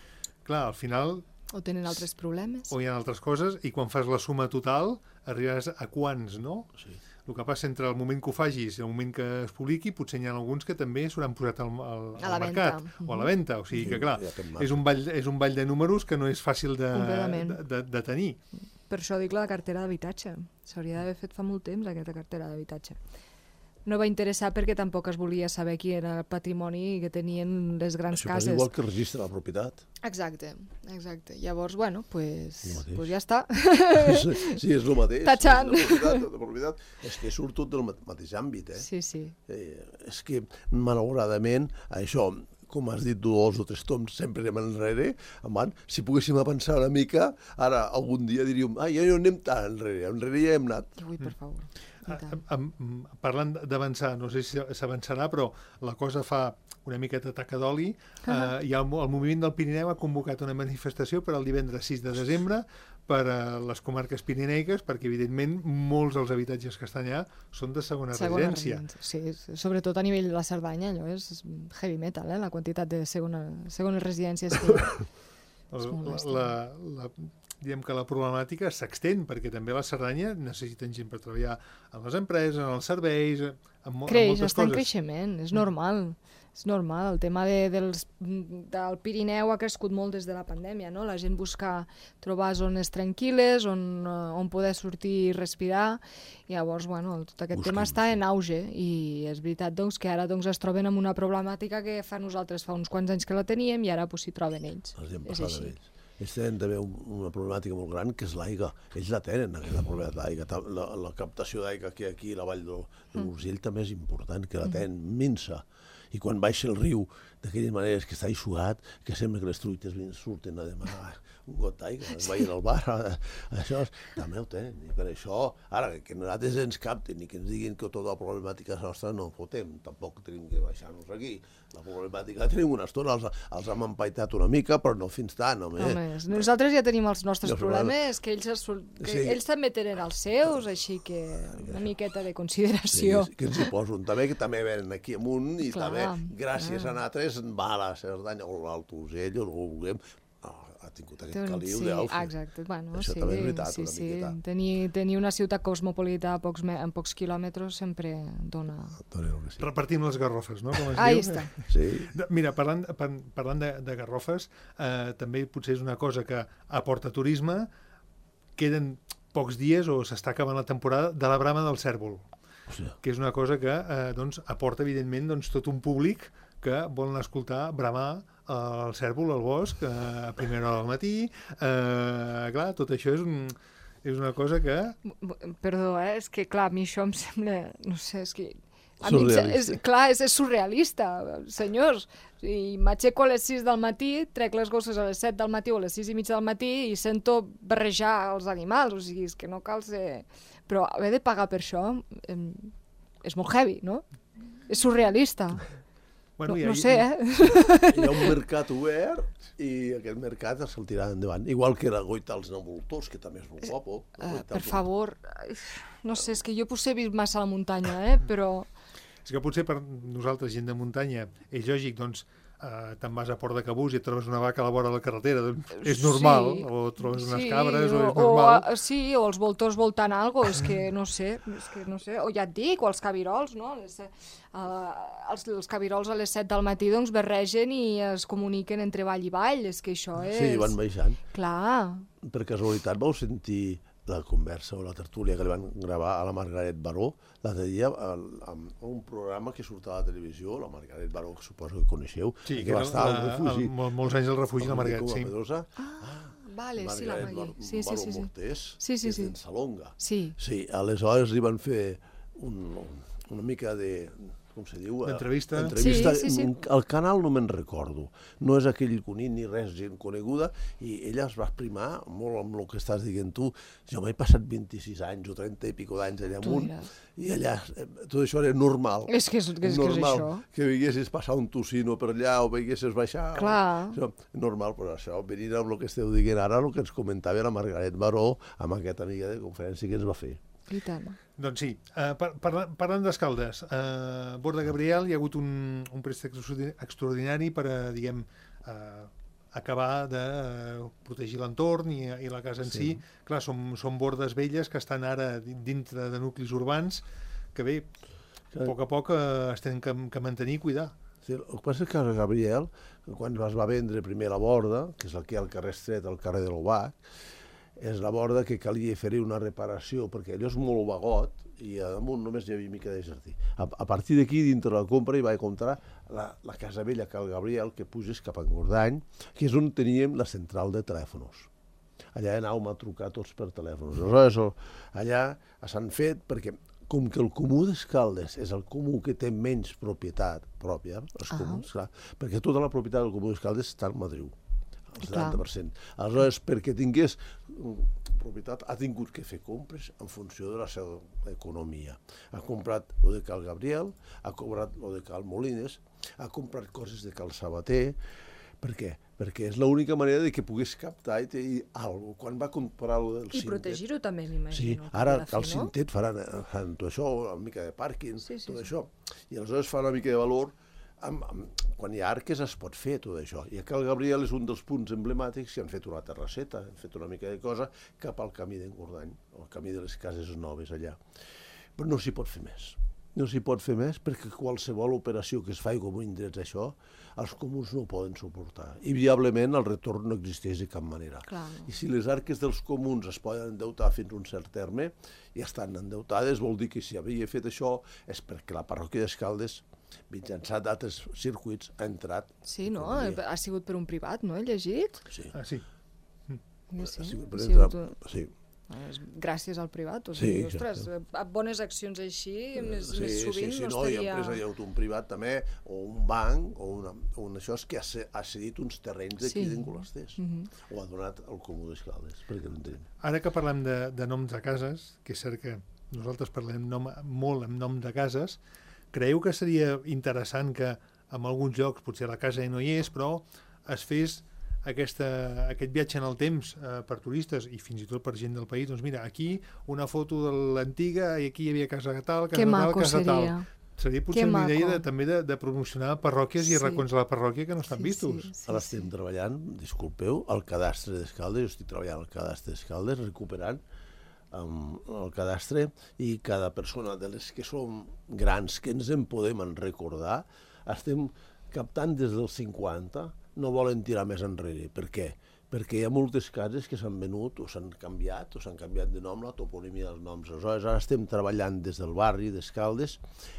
Clar, al final... O tenen altres problemes. O hi ha altres coses, i quan fas la suma total arribaràs a quants, no? Sí. El que passa entre el moment que ho facis i el moment que es publiqui, potser n'hi ha alguns que també s'hauran posat al mercat o a la venda. O sigui que, clar, és un ball de números que no és fàcil de tenir. Per això dic la cartera d'habitatge. S'hauria d'haver fet fa molt temps aquesta cartera d'habitatge. No va interessar perquè tampoc es volia saber qui era el patrimoni que tenien les grans cases. Això igual que el registre de la propietat. Exacte. Llavors, bueno, pues ja està. Sí, és el mateix. Tachant. La propietat és que surt tot del mateix àmbit. Sí. És que, malauradament, això, com has dit, 2 o 3 toms sempre anem enrere, si poguéssim avançar una mica, ara algun dia diríem, ja no anem tan enrere ja hem anat. Ui, per favor. Parlant d'avançar, no sé si s'avançarà, però la cosa fa una miqueta taca d'oli. El moviment del Pirineu ha convocat una manifestació per al divendres 6 de desembre per a les comarques pirineiques, perquè evidentment molts dels habitatges que estan allà són de segona residència. Sí, sobretot a nivell de la Cerdanya, allò és heavy metal, la quantitat de segones residències que hi ha. Diem que la problemàtica s'extén, perquè també a la Cerdanya necessiten gent per treballar en les empreses, en els serveis, en moltes coses. Està en creixement, és normal. És normal, el tema del Pirineu ha crescut molt des de la pandèmia, no? La gent busca trobar zones tranquil·les on poder sortir i respirar, i llavors, bueno, tot aquest tema està en auge, i és veritat doncs, que ara es troben amb una problemàtica que nosaltres fa uns quants anys que la teníem i ara s'hi troben ells. És així. Ells tenen també una problemàtica molt gran, que és l'aigua. Ells la tenen, aquesta problemàtica d'aigua. La captació d'aigua que hi ha aquí a la vall de l'Urgell també és important, que la tenen minsa. I quan baixa el riu d'aquelles maneres que està eixugat, que sembla que les truites surten a demanar un got d'aigua, es veien al bar, això també ho tenen, i per això, ara, que nosaltres ens capten i que ens diguin que tota la problemàtica nostra no en fotem, tampoc tenim que baixar-nos aquí, la problemàtica tenim una estona, els hem empaitat una mica, però no fins tant, home. Nosaltres ja tenim els nostres problemes, que ells també tenen els seus, així que una miqueta de consideració. Sí, que ens hi posen també, que també venen aquí amunt i també, gràcies a nosaltres, va a la Cerdanya o l'Alt Urgell o no ho vulguem, ha tingut aquest caliu d'Elx. Exacte, bueno, això també és veritat, una miqueta. Tenir una ciutat cosmopolita en pocs quilòmetres sempre dona... Repartim les garrofes, no? Com es Ahí diu. està. Sí. Mira, parlant de garrofes, també potser és una cosa que aporta turisme, queden pocs dies o s'està acabant la temporada de la brama del cèrvol, que és una cosa que aporta, evidentment, tot un públic que volen escoltar bramar el cèrvol al bosc a primera hora del matí. Clar, tot això és una cosa que... Perdó, és que, clar, a mi això em sembla... No sé, és que... Surrealista. És surrealista, senyors. I m'aixeco a les 6 del matí, trec les gosses a les 7 del matí o a les 6 i mitja del matí i sento barrejar els animals. O sigui, és que no cal ser... Però haver de pagar per això és molt heavy, no? És surrealista. Bueno, no sé, Hi ha un mercat obert i aquest mercat se'l tirarà endavant. Igual que la goita als Navoltors, que també és molt guapo. Per favor, no sé, és que jo potser he vist massa a la muntanya, però... És que potser per nosaltres, gent de muntanya, és lògic, doncs, te'n vas a Port de Cabús i et trobes una vaca a la vora de la carretera, doncs és normal, o trobes unes cabres, o és normal. O els voltors voltant alguna cosa, és que no sé, o ja et dic, o els cabirols, no? Els cabirols a les 7 del matí doncs barregen i es comuniquen entre vall i vall, és que això és... Sí, van baixant. Clar. Per casualitat vau sentir la conversa o la tertúlia que li van gravar a la Margaret Baró l'altre dia amb un programa que surt a la televisió, la Margaret Baró, que suposo que coneixeu, sí, que va estar al refugi. Molts anys al refugi, la Margaret, sí. Vale, sí, la Margaret. Sí. Mortés, sí. que és d'en Salonga. Sí. Sí, aleshores li van fer una mica de... com se diu? D'entrevista. Sí. El canal no me'n recordo. No és aquell conit ni res, gent coneguda, i ella es va exprimar molt amb el que estàs dient tu. Jo m'he passat 26 anys o 30 i pico d'anys allà amunt, i allà tot això era normal. És que és això. Que veiessis passar un tocino per allà o veiessis baixar. Clar. Això, normal, però això, venint amb el que esteu dient ara, el que ens comentava la Margaret Baró amb aquesta amiga de conferència que ens va fer. I tant. Doncs sí, parlant d'Escaldes, a Bord de Gabriel hi ha hagut un préstec extraordinari per, diguem, acabar de protegir l'entorn i la casa en si. Clar, són bordes velles que estan ara dintre de nuclis urbans que bé, a poc es tenen que mantenir i cuidar. Sí, el que passa és que a Gabriel, quan es va vendre primer la borda, que és el que hi ha al carrer Estret, al carrer de l'Obac, és la borda que calia fer-hi una reparació, perquè allò és molt vagot i a damunt només hi havia mica de jardí. A partir d'aquí, dintre la compra, hi vaig comprar la casa vella que el Gabriel, que puges cap a Engordany, que és on teníem la central de telèfons. Allà anàvem a trucar tots per telèfons. Aleshores, allà s'han fet, perquè com que el Comú d'Escaldes és el comú que té menys propietat pròpia, els comuns, clar, perquè tota la propietat del Comú d'Escaldes està al Madriu. El 70%. Aleshores, perquè tingués propietat, ha tingut que fer compres en funció de la seva economia. Ha comprat el de Cal Gabriel, ha comprat el de Cal Molines, ha comprat coses de Cal Sabater. Per què? Perquè és l'única manera de que pogués captar i tenir alguna cosa. Quan va comprar el del Cintet... I protegir-ho també, m'imagino. Sí, ara Cal Cintet faran tot això, una mica de pàrquing, tot això. I aleshores fa una mica de valor. Quan hi ha arques es pot fer tot això, i a Cal Gabriel és un dels punts emblemàtics que han fet una terrasseta, han fet una mica de cosa cap al camí d'Engordany, el camí de les cases noves allà. Però no s'hi pot fer més. No s'hi pot fer més perquè qualsevol operació que es faci com indrets això, els comuns no ho poden suportar. I viablement el retorn no existeix de cap manera. Clar. I si les arques dels comuns es poden endeutar fins a un cert terme, i estan endeutades, vol dir que si havia fet això és perquè la parròquia d'Escaldes, mitjançant d'altres circuits, ha entrat... Sí, no? Ha sigut per un privat, no? He llegit? Sí. Ah, sí. Sí. gràcies al privat. O Sí, sigui, ostres, bones accions així, més sovint no I estaria... empresa d'auto, un privat també, o un banc, o un això és que ha cedit uns terrenys d'aquí d'Encolasters, o ha donat al Comú d'Escaldes, perquè no en tenim. Ara que parlem de noms de cases, que és cert que nosaltres parlem molt amb noms de cases, creieu que seria interessant que en alguns llocs, potser la casa no hi és, però es fes aquest viatge en el temps per turistes i fins i tot per gent del país, doncs mira, aquí una foto de l'antiga i aquí hi havia casa tal, casa tal, casa tal. Seria potser una idea també de promocionar parròquies i racons de la parròquia que no estan vistos. Ara estem treballant, disculpeu, al cadastre d'Escaldes, jo estic treballant al cadastre d'Escaldes, recuperant el cadastre, i cada persona de les que som grans, que ens en podem recordar, estem captant des dels 50, no volen tirar més enrere. Per què? Perquè hi ha moltes cases que s'han venut o s'han canviat de nom, la toponímia dels noms. Aleshores, ara estem treballant des del barri d'Escaldes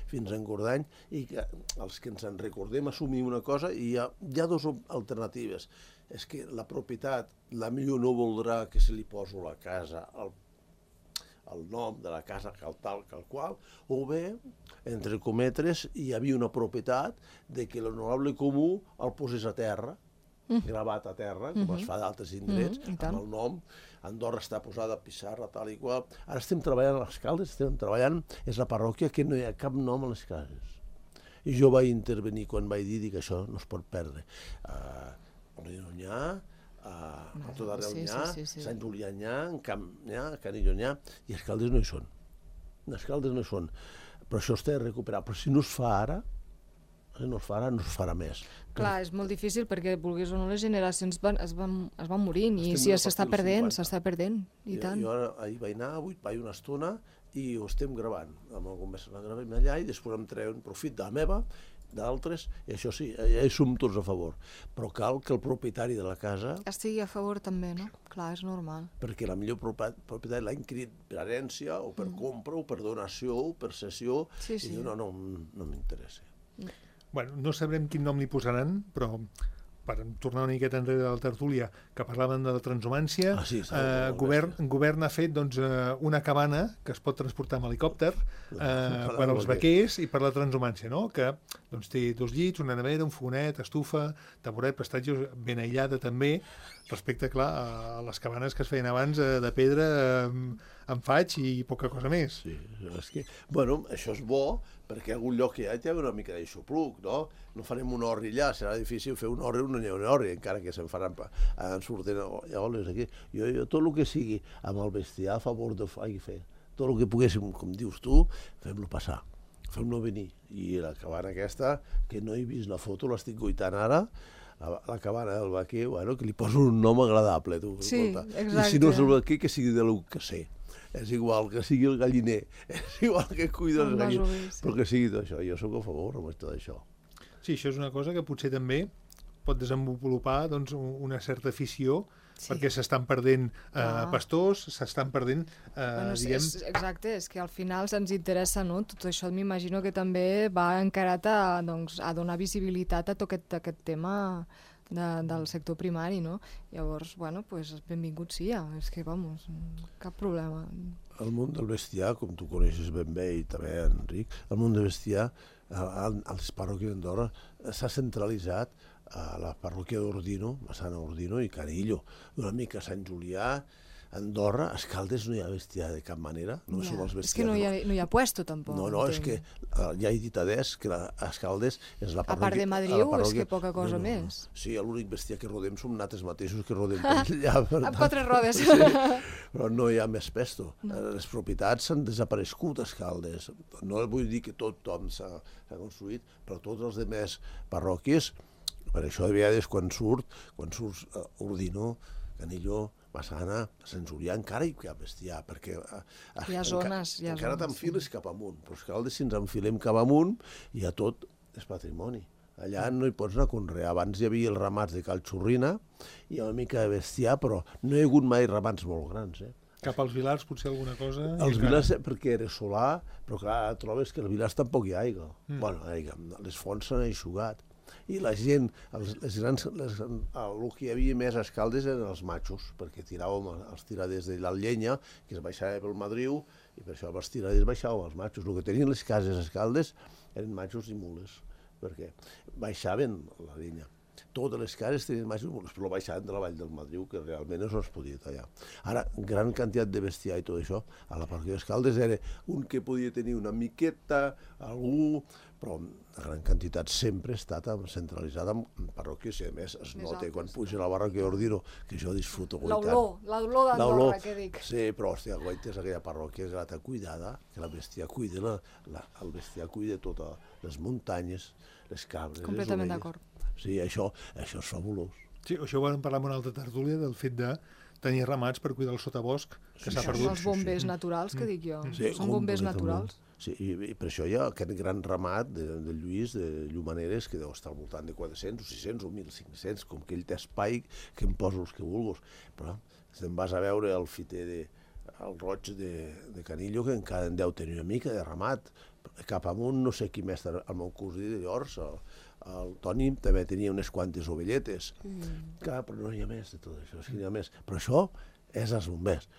fins a Engordany, i que els que ens en recordem assumim una cosa, i hi ha dues alternatives. És que la propietat, la millor no voldrà que se li posi la casa el nom de la casa tal qual, o bé, entre cometres, hi havia una propietat de que l'honorable comú el posés a terra, gravat a terra, com es fa d'altres indrets, amb el nom. Andorra està posada a pissarra, tal i qual. Ara estem treballant a les Caldes, és la parròquia que no hi ha cap nom a les cases. I jo vaig intervenir quan vaig dir que això no es pot perdre. N'hi ha, a tot arreu n'hi ha, Sant Julià n'hi ha, Camp n'hi ha, Canillo n'hi ha, i Escaldes no hi són. Escaldes no hi són. Però això es té de recuperar. Però si no es fa ara, no es farà més. Clar, és molt difícil perquè, vulguis o no, les generacions es van morint, i si s'està perdent, i tant. Jo ara ahir vaig anar, avui vaig una estona, i ho estem gravant. Amb algun mes la gravem allà, i després em treuen profit de la meva, d'altres, i això sí, ja hi som tots a favor. Però cal que el propietari de la casa... estigui a favor també, no? Clar, és normal. Perquè la millor propietari l'ha inquirit per herència, o per compra, o per donació, o per cessió, i diu, no m'interessa. Bueno, no sabrem quin nom li posaran, però per tornar una miqueta enrere de la tertúlia, que parlaven de la transhumància, govern ha fet una cabana que es pot transportar amb helicòpter per als vaquers i per la transhumància, no? Que té 2 llits, una nevera, un fogonet, estufa, taburet, prestatge ben aïllada també, respecte, clar, a les cabanes que es feien abans de pedra amb faig i poca cosa més. Sí, és que, bueno, això és bo, perquè algun lloc que hi ha una mica d'aixopluc, no? No farem un orri allà, serà difícil fer un orri o no hi ha un orri, encara que se'n faran, surten oles aquí. Jo tot el que sigui amb el bestiar a favor de fer, tot el que poguéssim, com dius tu, fem-lo passar, fem-lo venir. I la cabana aquesta, que no he vist la foto, l'estic guaitant ara, la cabana del vaquer, bueno, que li poso un nom agradable, tu. Sí, exacte. I si no és el vaquer, que sigui de lo que sé. És igual que sigui el galliner, és igual que cuida els galliners, però que sigui tot això. Jo sóc a favor amb tot això. Sí, això és una cosa que potser també pot desenvolupar una certa afició, perquè s'estan perdent pastors, s'estan perdent, diguem... Exacte, és que al final se'ns interessa, no? Tot això m'imagino que també va encarat a donar visibilitat a tot aquest tema del sector primari, no? Llavors, bueno, benvingut sia, és que, vamos, cap problema. El món del bestiar, com tu coneixes ben bé, i també, Enric, el món del bestiar, a les parròquies d'Andorra, s'ha centralitzat a la parròquia d'Ordino, Massana Ordino i Canillo, una mica Sant Julià, Andorra, a Escaldes no hi ha bestiar de cap manera, no som els bestiars. És que no hi ha puesto, tampoc. No, és que ja he dit adés que a Escaldes és la parròquia... A part de Madriu, és que poca cosa més. Sí, l'únic bestiar que rodem som nosaltres mateixos que rodem per allà. Amb 4 rodes. Però no hi ha més pesto. Les propietats s'han desaparegut a Escaldes. No vull dir que tothom s'ha construït, però tots els demés parròquies, per això de vegades quan surts Ordino, Canillo, Massana, a Sant Julià encara hi ha bestiar, perquè hi ha zones, encara t'enfiles cap amunt, però Escaldes si ens enfilem cap amunt ja tot és patrimoni. Allà no hi pots anar a conrear. Abans hi havia els ramats de Cal Xurrina, hi ha una mica de bestiar, però no hi ha hagut mai ramats molt grans. Cap als Vilars potser alguna cosa? Els Vilars perquè era solar, però clar, trobes que als Vilars tampoc hi ha aigua. Bueno, les fonts s'han eixugat. I la gent, el que hi havia més a Escaldes eren els matxos, perquè tiràvem els tiraders de la llenya, que es baixava pel Madriu, i per això els tiraders baixàvem els matxos. El que tenien les cases a Escaldes eren matxos i mules, perquè baixaven la llenya. Totes les cases tenien matxos i mules, però baixaven de la vall del Madriu, que realment no es podia tallar. Ara, gran quantitat de bestiar i tot això, a la parròquia d'Escaldes era un que podia tenir una miqueta, algú, però la gran quantitat sempre ha estat centralitzada en parròquies, i a més es nota quan puja a la parròquia d'Ordino, que jo disfruto guaitant. L'olor d'Andorra, que dic. Sí, però, hòstia, guaites, aquella parròquia és grata cuidada, que la bestiar cuida, el bestiar cuida totes les muntanyes, les cabres, completament d'acord. Sí, això és fabulós. Sí, això ho vam parlar en una altra tertúlia, del fet de tenir ramats per cuidar el sotabosc, que s'ha perdut. Són els bombers naturals, que dic jo. Són bombers naturals. Sí, i per això hi ha aquest gran ramat de Lluís, de Llumaneres, que deu estar al voltant de 400 o 600 o 1.500, com que ell té espai, que em posa els que vulguis. Però si te'n vas a veure el fiter el roig de Canillo, que encara en deu tenir una mica de ramat. Cap amunt, no sé qui més, el meu cosí de Llors, el Toni, també tenia unes quantes ovelletes. Però no hi ha més de tot això, no hi ha més. Però això és els bombers.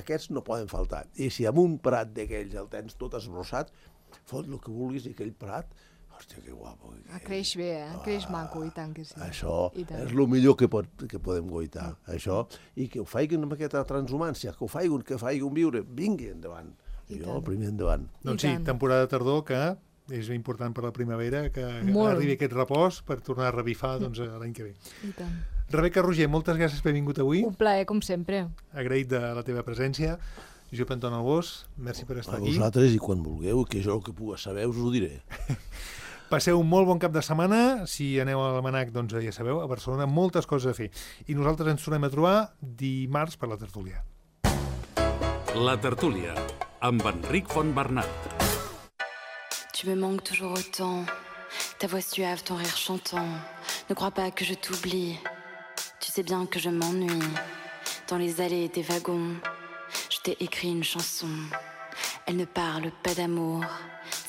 Aquests no poden faltar. I si amb un prat d'aquells el tens tot esbrossat, fot el que vulguis i aquell prat, hòstia, que guapo. Creix bé, creix maco, i tant que sí. Això és el millor que podem guaitar, això. I que ho facin amb aquesta transhumància, que ho facin viure, vingui endavant. Jo, primer endavant. Doncs sí, temporada de tardor que és important per la primavera, que arribi aquest repòs per tornar a revifar l'any que ve. I tant. Rebeca Roger, moltes gràcies per haver vingut avui. Un plaer, com sempre. Agraït de la teva presència. Josep Anton Albós, merci per estar aquí. A vosaltres, i quan vulgueu, que jo el que puga saber us ho diré. Passeu un molt bon cap de setmana. Si aneu a l'Almanac, doncs ja sabeu, a Barcelona moltes coses a fer. I nosaltres ens tornem a trobar dimarts per la tertúlia. La tertúlia, amb Enric Fontbernat. Tu me manques toujours autant, ta voix suave, ton rire chantant. Ne crois pas que je t'oublie, tu sais bien que je m'ennuie. Dans les allées des wagons, je t'ai écrit une chanson. Elle ne parle pas d'amour,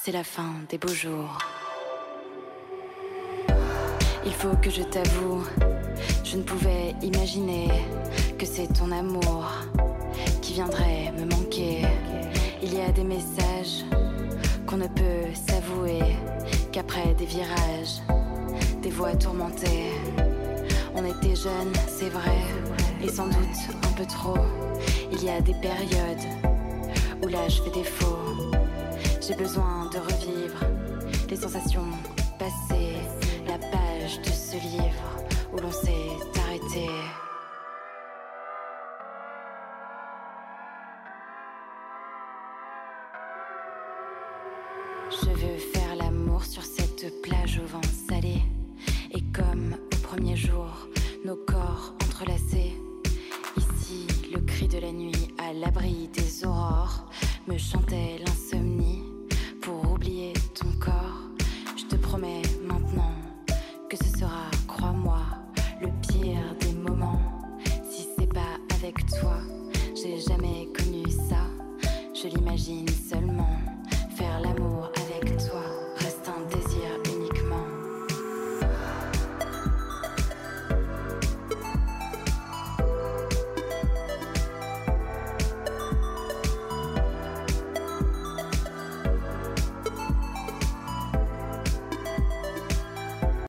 c'est la fin des beaux jours. Il faut que je t'avoue, je ne pouvais imaginer que c'est ton amour qui viendrait me manquer. Il y a des messages qu'on ne peut s'avouer qu'après des virages, des voix tourmentées. On était jeunes, c'est vrai, et sans doute un peu trop. Il y a des périodes où l'âge fait défaut. J'ai besoin de revivre les sensations passées, la page de ce livre où l'on s'est arrêté. Je veux faire l'amour sur cette plage au vent salé. Et comme au premier jour, nos corps entrelacés. Ici, le cri de la nuit à l'abri des aurores me chantait l'insomnie.